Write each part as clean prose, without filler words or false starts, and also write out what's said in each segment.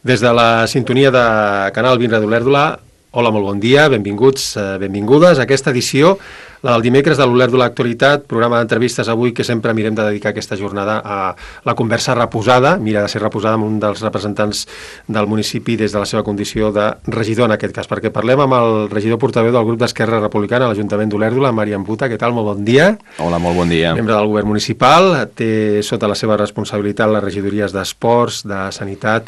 Des de la sintonia de Canal Vinra d'Olèrdola, hola, molt bon dia, benvinguts, benvingudes a aquesta edició, la del dimecres de l'Olèrdola Actualitat, programa d'entrevistes avui que sempre mirem de dedicar aquesta jornada a la conversa reposada, mira de ser reposada amb un dels representants del municipi des de la seva condició de regidor en aquest cas, perquè parlem amb el regidor portaveu del grup d'Esquerra Republicana a l'Ajuntament d'Olèrdola, Marian Buta. Què tal? Molt bon dia. Hola, molt bon dia. Membre del govern municipal, té sota la seva responsabilitat les regidories d'Esports, de Sanitat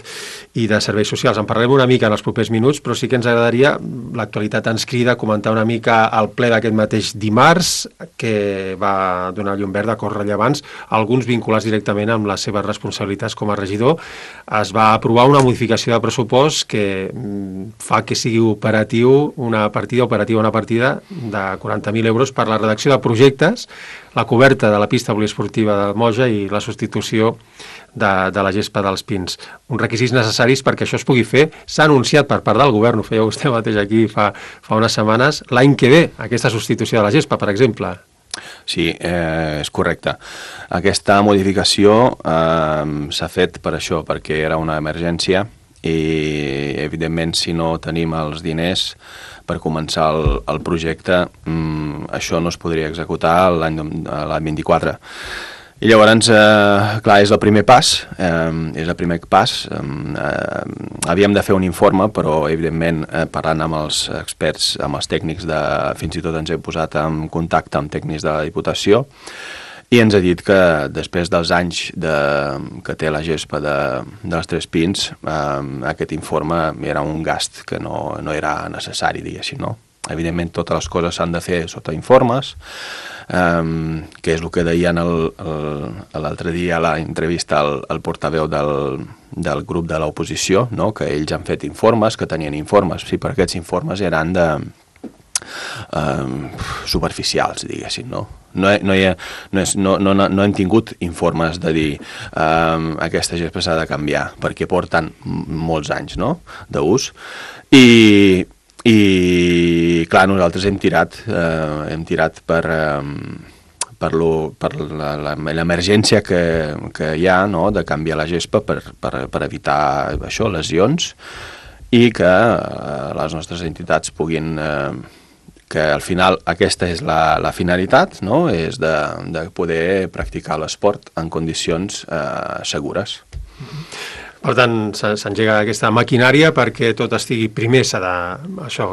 i de Serveis Socials. En parlem una mica en els propers minuts, però sí que ens agradaria, l'actualitat ens crida, a comentar una mica el ple d'aquest mateix dimarts, que va donar llum verda a cos rellevants, alguns vinculats directament amb les seves responsabilitats com a regidor. Es va aprovar una modificació de pressupost que fa que sigui una partida de 40.000 euros per la redacció de projectes, la coberta de la pista poliesportiva de Moja i la substitució de la gespa dels Pins. Uns requisits necessaris perquè això es pugui fer. S'ha anunciat per part del govern, ho feia vostè mateix aquí fa unes setmanes, l'any que ve, aquesta substitució de la gespa, per exemple. Sí, és correcte. Aquesta modificació s'ha fet per això, perquè era una emergència i, evidentment, si no tenim els diners per començar el projecte, això no es podria executar l'any 24. I llavors, clar, és el primer pas, havíem de fer un informe, però evidentment parlant amb els experts, amb els tècnics, fins i tot ens hem posat en contacte amb tècnics de la Diputació, i ens ha dit que després dels anys que té la gespa dels Tres Pins, aquest informe era un gast que no era necessari, diguéssim, no? Evidentment, totes les coses s'han de fer sota informes, que és el que deien l'altre dia a l'entrevista al portaveu del grup de l'oposició, no? Que ells han fet informes, que tenien informes, sí, però aquests informes eren superficials, diguéssim, no? No hem tingut informes de dir aquesta gespa s'ha de canviar, perquè porten molts anys, no?, d'ús, i clar, nosaltres hem tirat per l'emergència que hi ha, no?, de canviar la gespa per evitar això, lesions, i que les nostres entitats puguin, que al final aquesta és la finalitat, no?, és de poder practicar l'esport en condicions segures. Per tant, s'engega aquesta maquinària perquè tot estigui... Primer s'ha de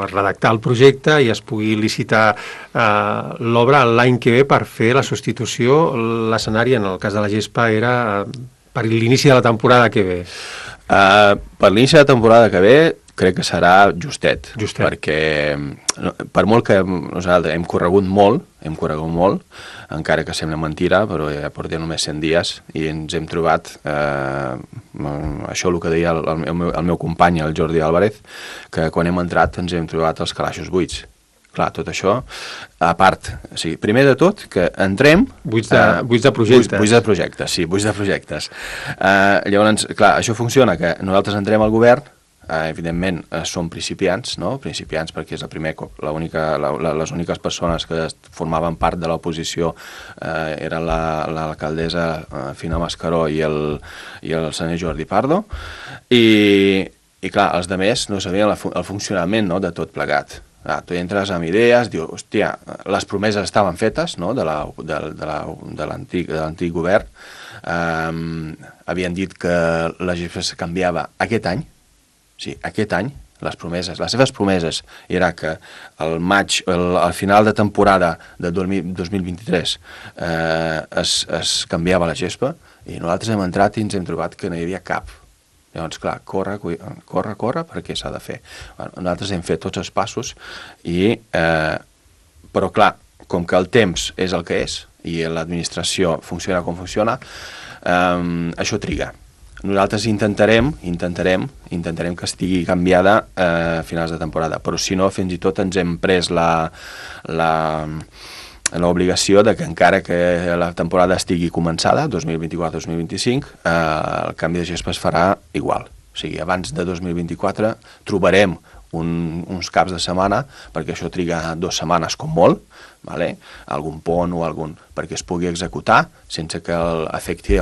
redactar el projecte i es pugui licitar l'obra l'any que ve per fer la substitució. L'escenari, en el cas de la gespa, era per l'inici de la temporada que ve. Per l'inici de la temporada que ve crec que serà justet. Perquè per molt que nosaltres hem corregut molt, encara que sembla mentira, però ja portem només 100 dies i ens hem trobat, això el que deia el meu company, el Jordi Álvarez, que quan hem entrat ens hem trobat els calaixos buits. Clar, tot això, a part, o sigui, primer de tot, que entrem... Buits de projectes. Buits de projectes, sí, buits de projectes. Llavors, clar, això funciona, que nosaltres entrem al govern, evidentment som principiants, no? Principiants perquè és el primer cop, les úniques persones que formaven part de l'oposició eren l'alcaldessa Fina Mascaró i el senyor Jordi Pardo, i clar, els altres no sabien el funcionament, no?, de tot plegat. Tu entres amb idees, dius, hòstia, les promeses estaven fetes, no?, de l'antic govern, havien dit que la gespa es canviava aquest any. Sí, aquest any, les seves promeses era que al final de temporada de 2023 es canviava la gespa, i nosaltres hem entrat i ens hem trobat que no hi havia cap. Llavors, clar, corre, perquè s'ha de fer. Nosaltres hem fet tots els passos, però clar, com que el temps és el que és i l'administració funciona com funciona, això triga. Nosaltres intentarem que estigui canviada a finals de temporada, però si no, fins i tot ens hem pres l'obligació de que encara que la temporada estigui començada, 2024-2025, el canvi de gespa es farà igual. O sigui, abans de 2024 trobarem uns caps de setmana, perquè això triga 2 setmanes com molt, vale? Algun pont o perquè es pugui executar sense que afecti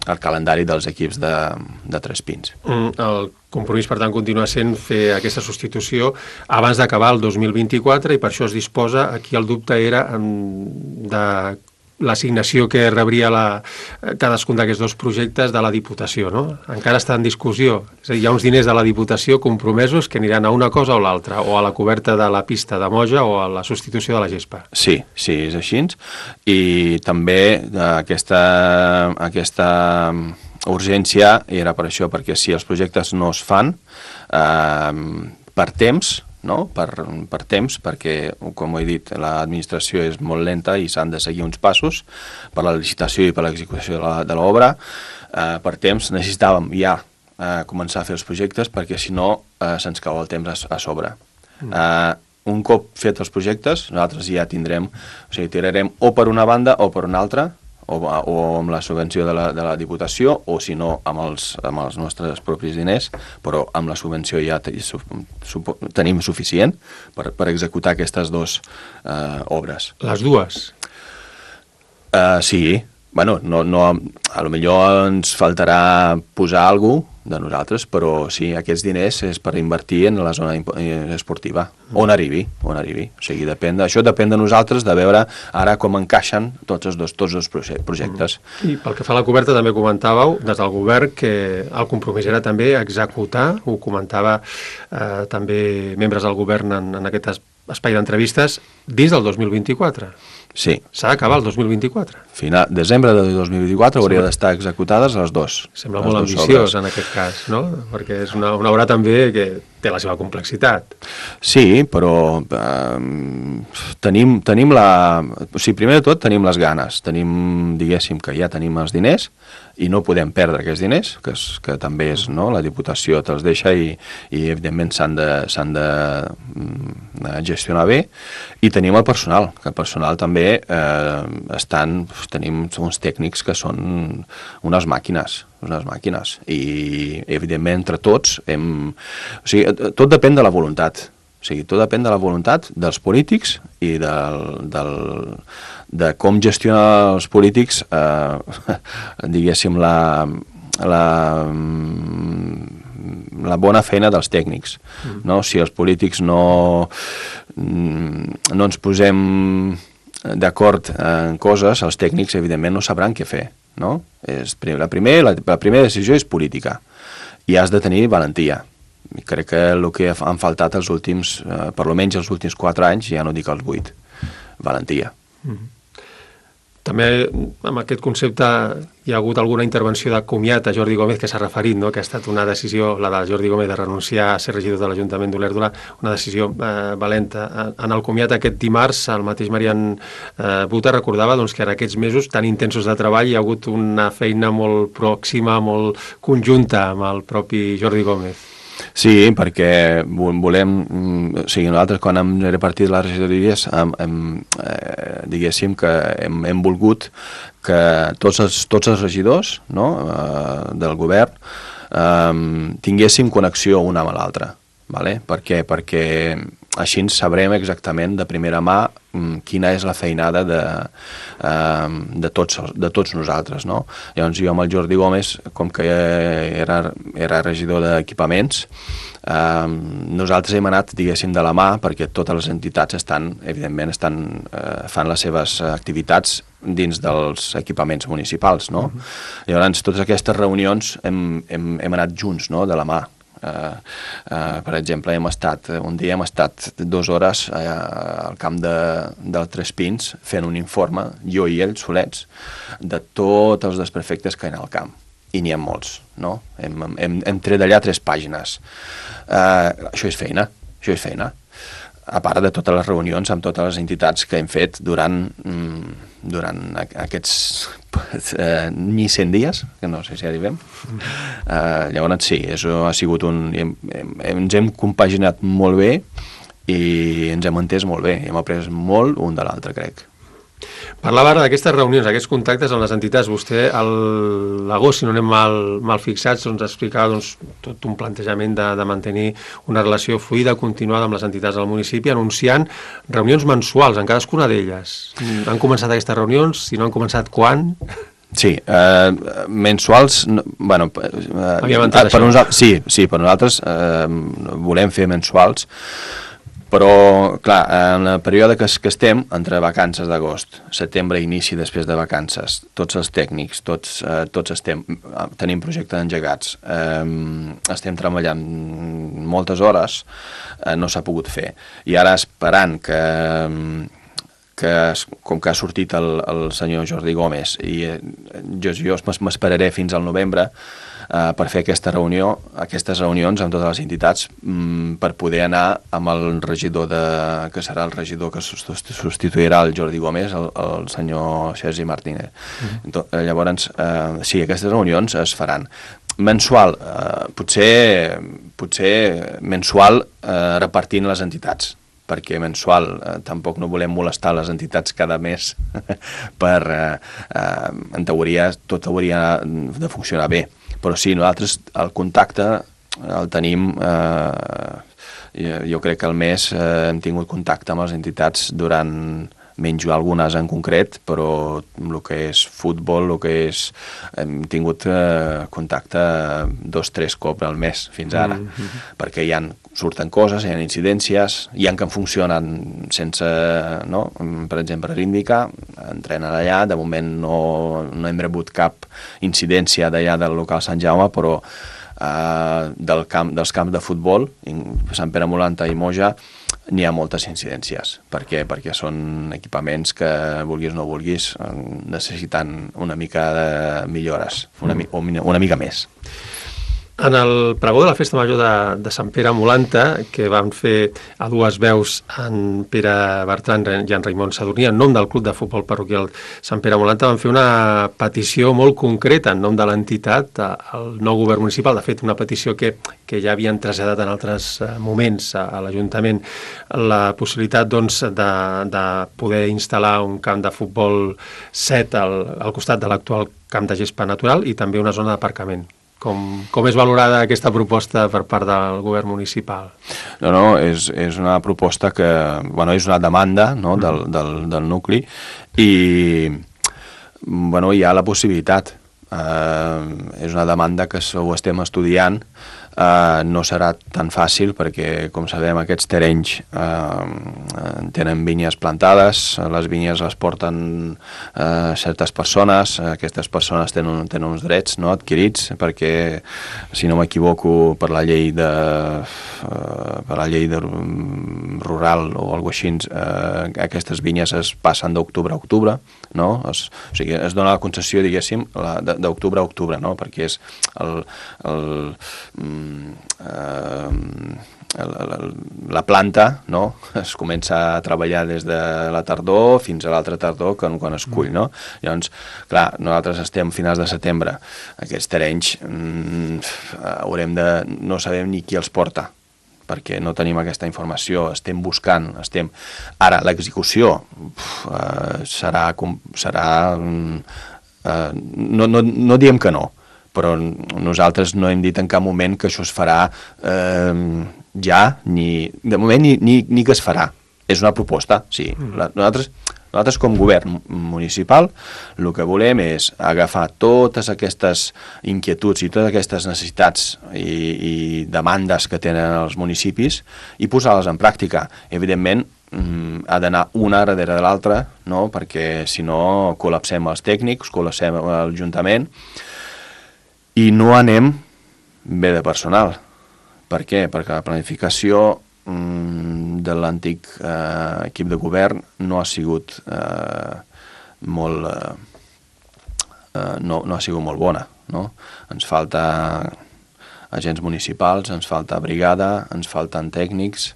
el calendari dels equips de Tres Pins. El compromís, per tant, continua sent fer aquesta substitució abans d'acabar el 2024 i per això es disposa, aquí el dubte era de l'assignació que rebria cadascun d'aquests dos projectes de la Diputació, no? Encara està en discussió. És a dir, hi ha uns diners de la Diputació compromesos que aniran a una cosa o l'altra, o a la coberta de la pista de Moja o a la substitució de la gespa. Sí, és així. I també aquesta urgència era per això, perquè si els projectes no es fan per temps, no? Per temps, perquè, com he dit, l'administració és molt lenta i s'han de seguir uns passos per la licitació i per l'execució de l'obra. Per temps necessitàvem ja començar a fer els projectes perquè si no se'ns cau el temps a sobre. Un cop fet els projectes, nosaltres ja tindrem, o sigui, tirarem o per una banda o per una altra, o amb la subvenció de la Diputació, o si no amb els nostres propis diners, però amb la subvenció ja tenim suficient per executar aquestes dues obres. Les dues? Sí. Bueno, a lo millor ens faltarà posar alguna cosa de nosaltres, però sí, aquests diners és per invertir en la zona esportiva, on arribi. O sigui, això depèn de nosaltres, de veure ara com encaixen tots els dos projectes. I pel que fa a la coberta, també comentàveu, des del govern, que el compromís era també executar, ho comentava també membres del govern en aquest espai d'entrevistes, dins del 2024. Sí. S'ha d'acabar el 2024. Desembre de 2024 hauria d'estar executades les dues. Sembla molt ambiciós en aquest cas, no? Perquè és una obra també que té la seva complexitat. Sí, però tenim la... O sigui, primer de tot tenim les ganes. Diguéssim que ja tenim els diners i no podem perdre aquests diners, que també és, no? La Diputació te'ls deixa i evidentment s'han de gestionar bé. I tenim el personal, que el personal també tenim uns tècnics que són unes màquines i evidentment entre tots o sigui, tot depèn de la voluntat. O sigui, tot depèn de la voluntat dels polítics i de com gestionar els polítics, diguéssim, la bona feina dels tècnics. No? Si els polítics no ens posem d'acord en coses, els tècnics, evidentment, no sabran què fer. No? La primera decisió és política i has de tenir valentia. I crec que el que han faltat els últims, per almenys els últims 4 anys, ja no dic els 8, valentia. També amb aquest concepte hi ha hagut alguna intervenció de comiat a Jordi Gómez que s'ha referit, no? Que ha estat una decisió, la de Jordi Gómez, de renunciar a ser regidor de l'Ajuntament d'Olèrdola, una decisió valenta. En el comiat aquest dimarts, el mateix Marian Buta recordava que en aquests mesos tan intensos de treball hi ha hagut una feina molt pròxima, molt conjunta amb el propi Jordi Gómez. Sí, perquè volem... O sigui, nosaltres quan hem repartit les regidories diguéssim que hem volgut que tots els regidors, no, del govern tinguéssim connexió una amb l'altra. Vale? Per què? Perquè així sabrem exactament de primera mà quina és la feinada de tots nosaltres. No? Llavors jo amb el Jordi Gómez, com que era regidor d'equipaments, nosaltres hem anat, diguéssim, de la mà perquè totes les entitats evidentment fan les seves activitats dins dels equipaments municipals. No? Llavors totes aquestes reunions hem anat junts, no? De la mà. Per exemple, un dia hem estat 2 hores al camp del Tres Pins fent un informe, jo i ell solets, de tots els desperfectes que hi ha al camp, i n'hi ha molts, no? Hem tret d'allà 3 pàgines. Això és feina, a part de totes les reunions amb totes les entitats que hem fet durant aquests ni 100 dies, que no sé si arribem. Llavors sí, ha sigut ens hem compaginat molt bé i ens hem entès molt bé, i hem après molt un de l'altre, crec. Parlava ara d'aquestes reunions, aquests contactes amb les entitats. Vostè, a l'agost, si no anem mal fixats, ens explicava tot un plantejament de mantenir una relació fluida, continuada amb les entitats del municipi, anunciant reunions mensuals en cadascuna d'elles. Han començat aquestes reunions? Si no han començat, quan? Sí, mensuals, bueno, per nosaltres volem fer mensuals, però, clar, en el període que estem, entre vacances d'agost, setembre, inici després de vacances, tots els tècnics, tots tenim projectes engegats, estem treballant moltes hores, no s'ha pogut fer. I ara esperant com que ha sortit el senyor Jordi Gómez i jo m'esperaré fins al novembre per fer aquestes reunions amb totes les entitats per poder anar amb el regidor que serà el regidor que substituirà el Jordi Gómez, el senyor Sergi Martínez. Llavors, sí, aquestes reunions es faran. Mensual, potser mensual repartint les entitats, perquè mensual tampoc no volem molestar les entitats cada mes en teoria tot hauria de funcionar bé, però sí, nosaltres el contacte el tenim, jo crec que al mes hem tingut contacte amb les entitats durant, menys algunes en concret, però el que és futbol, hem tingut contacte 2-3 cops al mes fins ara, perquè surten coses, hi ha incidències, hi ha que funcionen sense, no? Per exemple, Ríndica, entrenen allà, de moment no hem rebut cap incidència d'allà del local Sant Jaume, però dels camps de futbol, Sant Pere Molanta i Moja, n'hi ha moltes incidències. Per què? Perquè són equipaments que, vulguis o no vulguis, necessiten una mica de millores, una mica més. En el pregó de la Festa Major de Sant Pere Molanta, que van fer a dues veus en Pere Bertran i en Raimon Sadurní, en nom del Club de Futbol Parroquial Sant Pere Molanta, van fer una petició molt concreta en nom de l'entitat al nou govern municipal. De fet, una petició que ja havien traslladat en altres moments a l'Ajuntament, la possibilitat doncs, de poder instal·lar un camp de futbol set al costat de l'actual camp de gespa natural i també una zona d'aparcament. Com és valorada aquesta proposta per part del govern municipal? No, és una proposta que, bueno, és una demanda, no, del nucli i, bueno, hi ha la possibilitat. És una demanda que ho estem estudiant. No serà tan fàcil perquè, com sabem, aquests terrenys tenen vinyes plantades, les vinyes les porten certes persones, aquestes persones tenen uns drets, no, adquirits, perquè, si no m'equivoco, per la llei rural o alguna cosa així, aquestes vinyes es passen d'octubre a octubre, no? O sigui, es dona la concessió, diguéssim, d'octubre a octubre, no? Perquè és la planta, no? Es comença a treballar des de la tardor fins a l'altra tardor quan es cull, no? Llavors, clar, nosaltres estem a finals de setembre, aquests terrenys no sabem ni qui els porta, perquè no tenim aquesta informació, estem buscant, ara l'execució serà no diem que no, però nosaltres no hem dit en cap moment que això es farà ja, de moment ni que es farà. És una proposta, sí. Nosaltres com govern municipal el que volem és agafar totes aquestes inquietuds i totes aquestes necessitats i demandes que tenen els municipis i posar-les en pràctica. Evidentment, ha d'anar una darrere de l'altra, no? Perquè si no col·lapsem els tècnics, col·lapsem l'Ajuntament i no anem bé de personal. Per què? Perquè la planificació de l'antic equip de govern no ha sigut molt bona, no? Ens falta agents municipals, ens falta brigada, ens falten tècnics.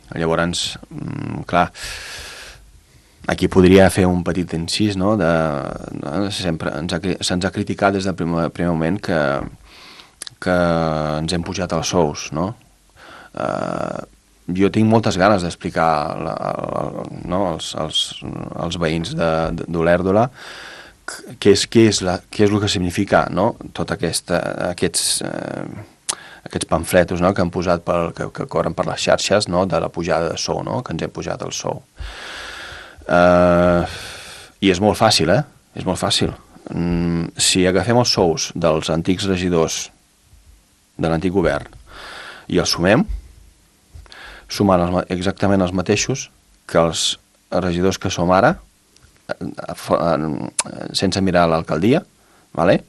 Llavors, clar, aquí podria fer un petit incís, no? Sempre se'ns ha criticat des del primer moment que ens hem pujat els sous, no? Jo tinc moltes ganes d'explicar als veïns d'Olèrdola què és el que significa, no? Tot aquests pamfletos, no? Que han posat que corren per les xarxes, no? De la pujada de sou, no? Que ens hem pujat el sou. I és molt fàcil, És molt fàcil. Si agafem els sous dels antics regidors de l'antic govern i els sumem, sumant exactament els mateixos que els regidors que som ara, sense mirar l'alcaldia, ¿vale?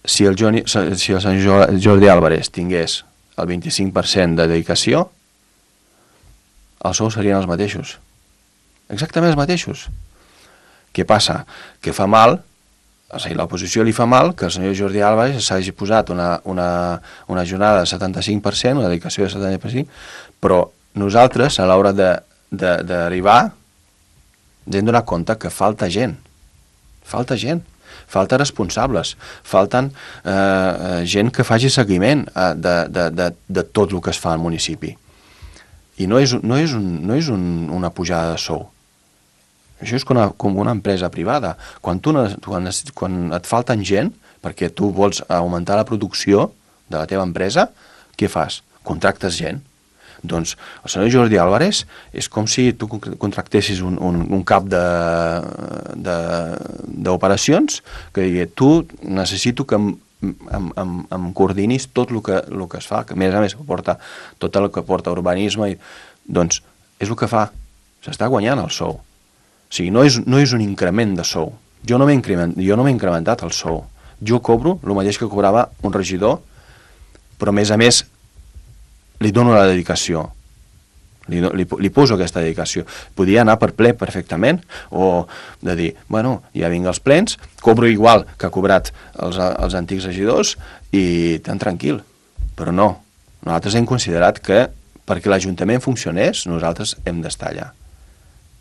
Si el Sant Jordi Álvarez tingués el 25% de dedicació, els sous serien els mateixos. Exactament els mateixos. Què passa? Que fa mal, o sigui, l'oposició li fa mal que el senyor Jordi Álvarez s'hagi posat una jornada de 75%, una dedicació de 75%, però nosaltres, a l'hora d'arribar, ens hem donat compte que falta gent, falta responsables, falten gent que faci seguiment de tot el que es fa al municipi. I no és una pujada de sou. Això és com una empresa privada. Quan et falten gent, perquè tu vols augmentar la producció de la teva empresa, què fas? Contractes gent. Doncs el senyor Jordi Álvarez és com si tu contractessis un cap d'operacions que digui, tu necessito que em coordinis tot el que es fa, que a més porta tot el que porta urbanisme, doncs és el que fa, s'està guanyant el sou. O sigui, no és un increment de sou. Jo no m'he incrementat el sou. Jo cobro el mateix que cobrava un regidor, però a més li dono la dedicació. Li poso aquesta dedicació. Podia anar per ple perfectament, o de dir, bueno, ja vinc als plens, cobro igual que ha cobrat els antics regidors i tan tranquil. Però no. Nosaltres hem considerat que perquè l'Ajuntament funcionés, nosaltres hem d'estar allà.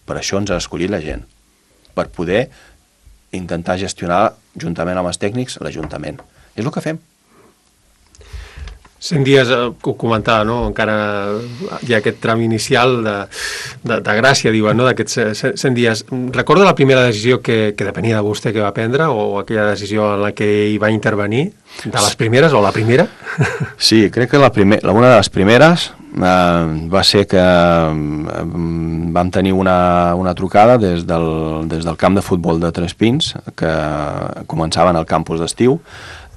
Per això ens ha escollit la gent. Per poder intentar gestionar, juntament amb els tècnics, l'Ajuntament. És el que fem. 100 dies, ho comentava, no? Encara hi ha aquest tram inicial de gràcia, diuen, no? D'aquests 100 dies. Recorda la primera decisió que depenia de vostè que va prendre, o aquella decisió en la que hi va intervenir? De les primeres, o la primera? Sí, crec que una de les primeres va ser que vam tenir una trucada des del camp de futbol de Tres Pins, que començaven al campus d'estiu,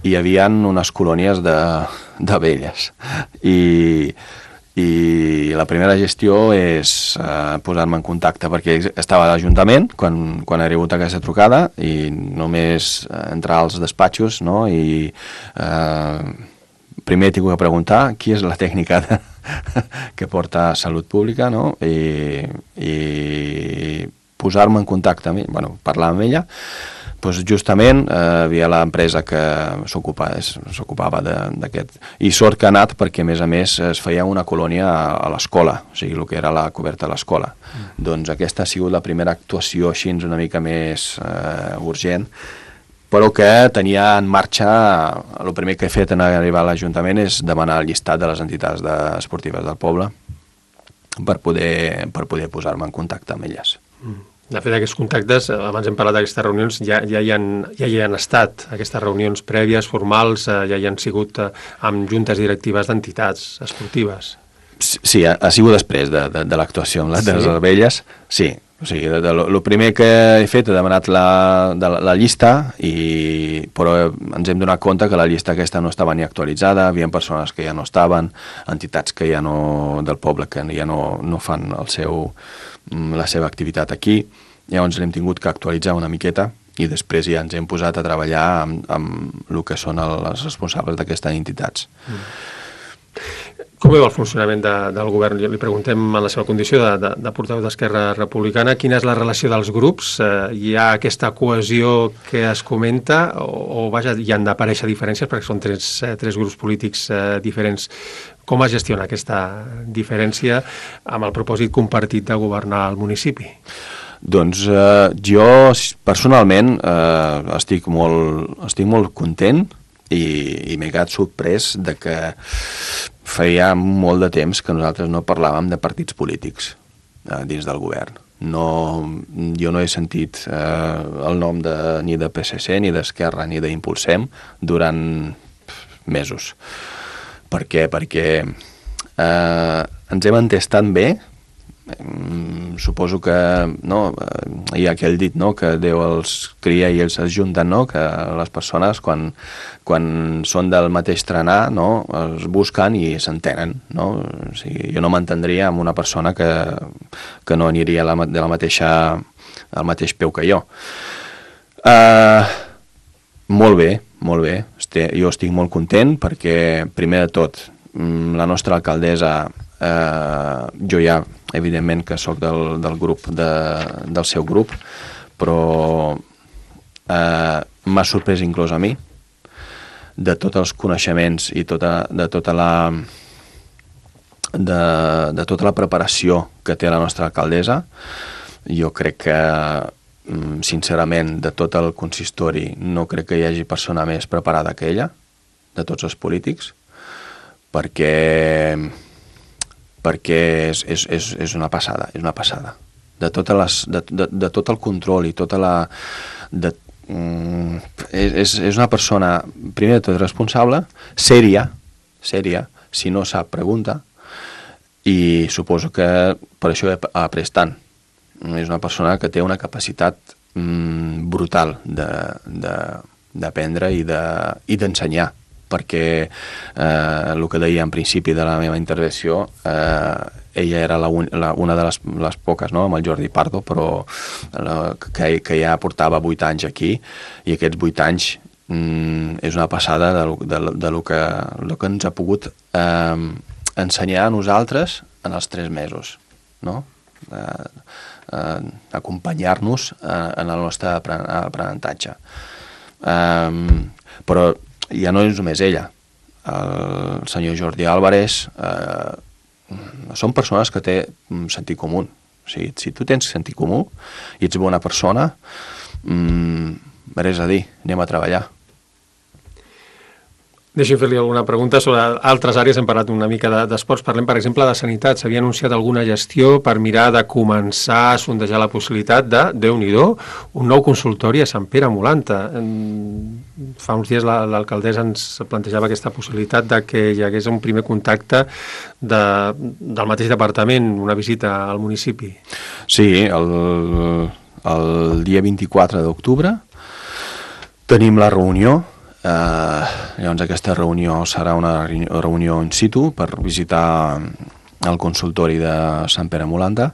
i hi havia unes colònies d'abelles. I la primera gestió és posar-me en contacte, perquè estava a l'Ajuntament quan ha rebut aquesta trucada, i només entrar als despatxos, no? I primer he tingut que preguntar qui és la tècnica que porta Salut Pública, no? I posar-me en contacte amb ella, parlar amb ella. Doncs justament hi havia l'empresa que s'ocupava d'aquest. I sort que ha anat perquè, a més, es feia una colònia a l'escola, o sigui, el que era la coberta de l'escola. Doncs aquesta ha sigut la primera actuació així una mica més urgent, però que tenia en marxa, el primer que he fet en arribar a l'Ajuntament és demanar el llistat de les entitats esportives del poble per poder posar-me en contacte amb elles. De fet, aquests contactes, abans hem parlat d'aquestes reunions, ja hi han estat, aquestes reunions prèvies, formals, ja hi han sigut amb juntes directives d'entitats esportives. Sí, ha sigut després de l'actuació amb les abelles, sí. O sigui, el primer que he fet he demanat la llista, però ens hem donat compte que la llista aquesta no estava ni actualitzada, hi havia persones que ja no estaven, entitats que ja no, del poble que ja no fan la seva activitat aquí. Llavors l'hem tingut que actualitzar una miqueta i després ja ens hem posat a treballar amb el que són els responsables d'aquestes entitats. Com veu el funcionament del govern? Li preguntem en la seva condició de portaveu d'Esquerra Republicana, quina és la relació dels grups? Hi ha aquesta cohesió que es comenta o vaja, hi han d'aparèixer diferències perquè són tres grups polítics diferents? Com es gestiona aquesta diferència amb el propòsit compartit de governar el municipi? Doncs jo personalment estic molt content i m'he quedat sorprès de que feia molt de temps que nosaltres no parlàvem de partits polítics dins del govern. Jo no he sentit el nom ni de PSC, ni d'Esquerra, ni d'Impulsem durant mesos. Per què? Perquè ens hem entès tan bé suposo que hi ha aquell dit, que Déu els cria i ells es junten, que les persones quan són del mateix trenar es busquen i s'entenen. O sigui, jo no m'entendria amb una persona que no aniria al mateix peu que jo. Molt bé. Jo estic molt content perquè, primer de tot, la nostra alcaldessa, jo ja, evidentment, que sóc del grup, del seu grup, però m'ha sorprès inclús a mi, de tots els coneixements i de tota la preparació que té la nostra alcaldessa. Jo crec que, sincerament, de tot el consistori, no crec que hi hagi persona més preparada que ella, de tots els polítics, perquè és una passada, De tot el control i tota la... És una persona, primer de tot, responsable, sèria, si no sap, pregunta, i suposo que per això ha après tant. És una persona que té una capacitat brutal d'aprendre i d'ensenyar, perquè el que deia en principi de la meva intervenció, ella era una de les poques, amb el Jordi Pardo, però que ja portava 8 anys aquí, i aquests 8 anys és una passada de lo que ens ha pogut ensenyar a nosaltres en els 3 mesos, acompanyar-nos en el nostre aprenentatge. Però ja no és només ella. El senyor Jordi Álvarez són persones que té sentit comú. O sigui, si tu tens sentit comú i ets bona persona, res a dir, anem a treballar. Deixi'm fer-li alguna pregunta sobre altres àrees. Hem parlat una mica d'esports. Parlem, per exemple, de sanitat. S'havia anunciat alguna gestió per mirar de començar a sondejar la possibilitat de, Déu-n'hi-do, un nou consultori a Sant Pere Molanta. Fa uns dies l'alcaldessa ens plantejava aquesta possibilitat de que hi hagués un primer contacte del mateix departament, una visita al municipi. Sí, el dia 24 d'octubre tenim la reunió. Llavors aquesta reunió serà una reunió in situ per visitar el consultori de Sant Pere Molanta,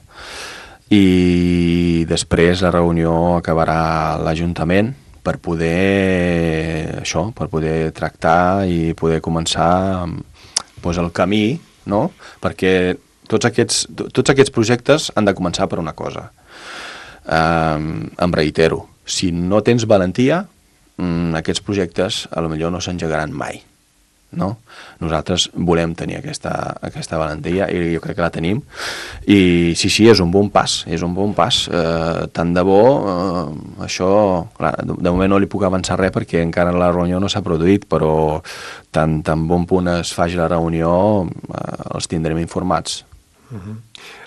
i després la reunió acabarà a l'Ajuntament per poder tractar i poder començar el camí, perquè tots aquests projectes han de començar per una cosa. Em reitero, si no tens valentia, aquests projectes a lo millor no s'engegaran mai. Nosaltres volem tenir aquesta valentia, i jo crec que la tenim, i sí, és un bon pas, tant de bo. Això, clar, de moment no li puc avançar res perquè encara la reunió no s'ha produït, però tan bon punt es faci la reunió els tindrem informats.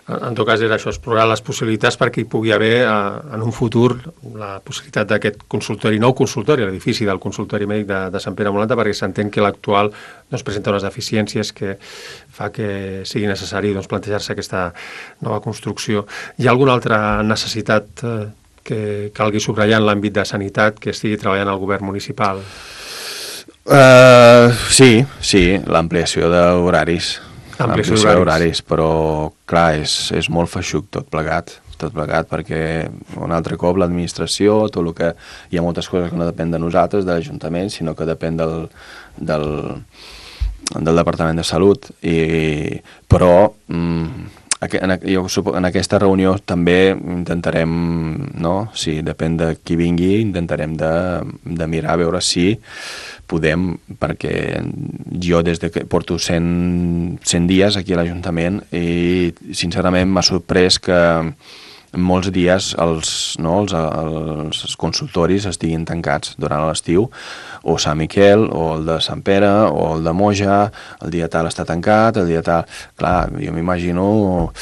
En tot cas era això, explorar les possibilitats perquè hi pugui haver en un futur la possibilitat d'aquest consultori, nou consultori, l'edifici del consultori mèdic de Sant Pere Molanta, perquè s'entén que l'actual presenta unes deficiències que fa que sigui necessari plantejar-se aquesta nova construcció. Hi ha alguna altra necessitat que calgui subratllar en l'àmbit de sanitat que estigui treballant el govern municipal? Sí, l'ampliació d'horaris. Però clar, és molt feixuc tot plegat, perquè un altre cop l'administració, tot el que hi ha moltes coses que no depèn de nosaltres, de l'Ajuntament, sinó que depèn del Departament de Salut, però en aquesta reunió també intentarem, si depèn de qui vingui, intentarem de mirar a veure si podem, perquè jo des que porto 100 dies aquí a l'Ajuntament, i sincerament m'ha sorprès que molts dies els consultoris estiguin tancats durant l'estiu, o Sant Miquel, o el de Sant Pere, o el de Moja, el dia tal està tancat, el dia tal... Clar, jo m'imagino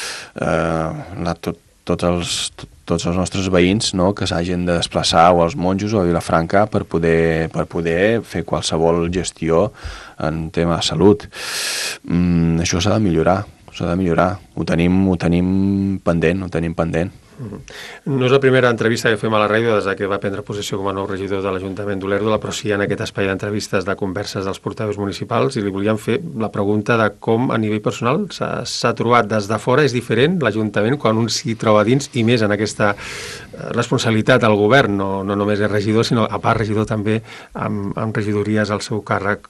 tots els nostres veïns que s'hagin de desplaçar o als Monjos o a Vilafranca per poder fer qualsevol gestió en tema de salut. Això s'ha de millorar, Ho tenim pendent. No és la primera entrevista que fem a la ràdio des que va prendre possessió com a nou regidor de l'Ajuntament d'Olèrdola, però sí en aquest espai d'entrevistes de converses dels portaveus municipals, i li volíem fer la pregunta de com a nivell personal s'ha trobat des de fora. És diferent l'Ajuntament quan un s'hi troba dins, i més en aquesta responsabilitat al govern, no només és regidor, sinó a part regidor també amb regidories al seu càrrec.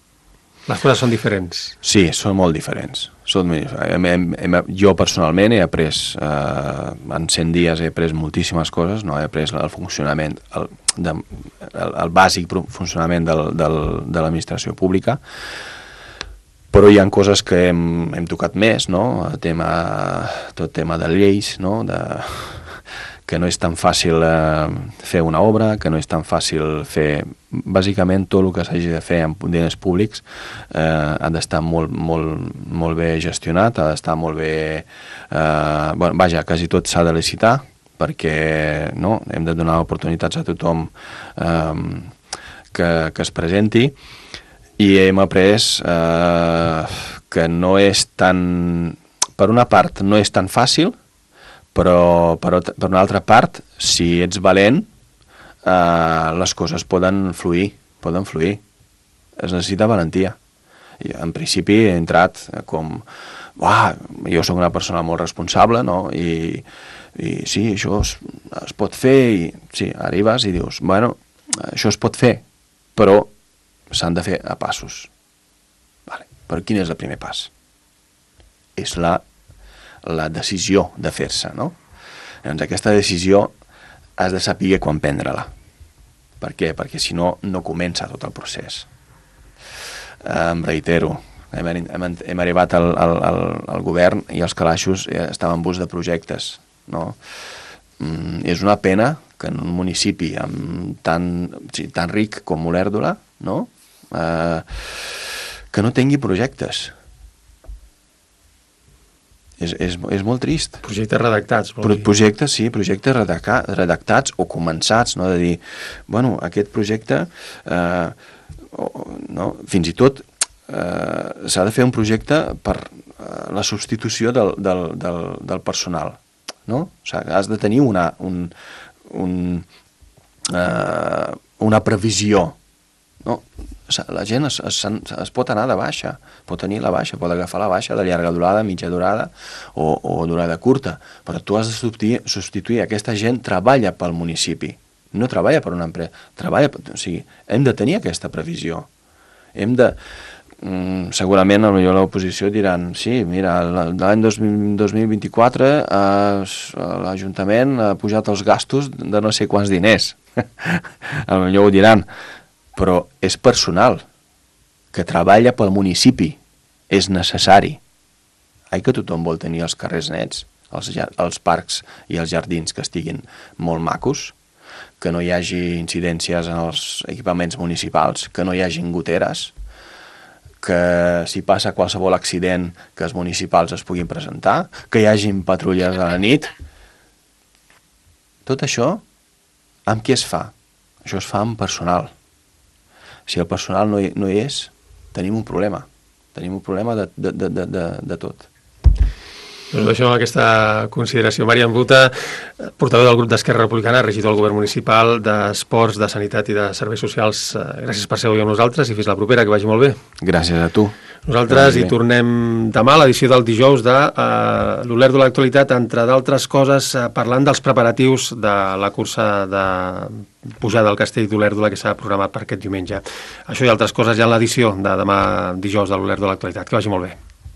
Les coses són diferents. Sí, són molt diferents. Jo personalment he après, en 100 dies he après moltíssimes coses, no? He après el funcionament, el bàsic funcionament de l'administració pública, però hi ha coses que hem tocat més, no? Tot tema de lleis, no? Que no és tan fàcil fer una obra, que no és tan fàcil fer... Bàsicament, tot el que s'hagi de fer amb diners públics ha d'estar molt bé gestionat, ha d'estar molt bé... Vaja, quasi tot s'ha de licitar, perquè hem de donar oportunitats a tothom que es presenti, i hem après que no és tan... Per una part, no és tan fàcil, però per una altra part, si ets valent, les coses poden fluir. Es necessita valentia. I en principi he entrat com... jo sóc una persona molt responsable, no? I sí, això es pot fer, i sí, arribes i dius, això es pot fer, però s'han de fer a passos. Però quin és el primer pas? És la decisió de fer-se, no? Llavors, aquesta decisió has de saber quan prendre-la. Per què? Perquè si no, no comença tot el procés. Em reitero, hem arribat al govern i els calaixos estaven en bus de projectes, no? És una pena que en un municipi tan ric com Olèrdola, no? Que no tingui projectes. És molt trist. Projectes redactats. Projectes redactats o començats, no? De dir, aquest projecte, fins i tot s'ha de fer un projecte per la substitució del personal, no? O sigui, has de tenir una previsió, no? La gent es pot anar de baixa, pot tenir la baixa, pot agafar la baixa de llarga durada, mitja durada o durada curta, però tu has de substituir. Aquesta gent treballa pel municipi, no treballa per una empresa, o sigui, hem de tenir aquesta previsió. Segurament potser l'oposició diran, sí, mira, l'any 2024 l'Ajuntament ha pujat els gastos de no sé quants diners. Potser ho diran, però és personal que treballa pel municipi, és necessari. Que tothom vol tenir els carrers nets, els parcs i els jardins que estiguin molt macos, que no hi hagi incidències en els equipaments municipals, que no hi hagi goteres, que si passa qualsevol accident que els municipals es puguin presentar, que hi hagin patrulles a la nit. Tot això, amb qui es fa? Això es fa amb personal. Si el personal no hi és, tenim un problema. Tenim un problema de tot. Doncs deixem aquesta consideració. Marian Buta, portaveu del grup d'Esquerra Republicana, regidor del govern municipal d'Esports, de Sanitat i de Serveis Socials. Gràcies per ser avui amb nosaltres i fins la propera, que vagi molt bé. Gràcies a tu. Nosaltres hi tornem demà a l'edició del dijous de l'Olèrdola Actualitat, entre d'altres coses, parlant dels preparatius de la cursa de pujada al Castell d'Olèrdola que s'ha programat per aquest diumenge. Això i altres coses ja en l'edició de demà dijous de l'Olèrdola Actualitat. Que vagi molt bé.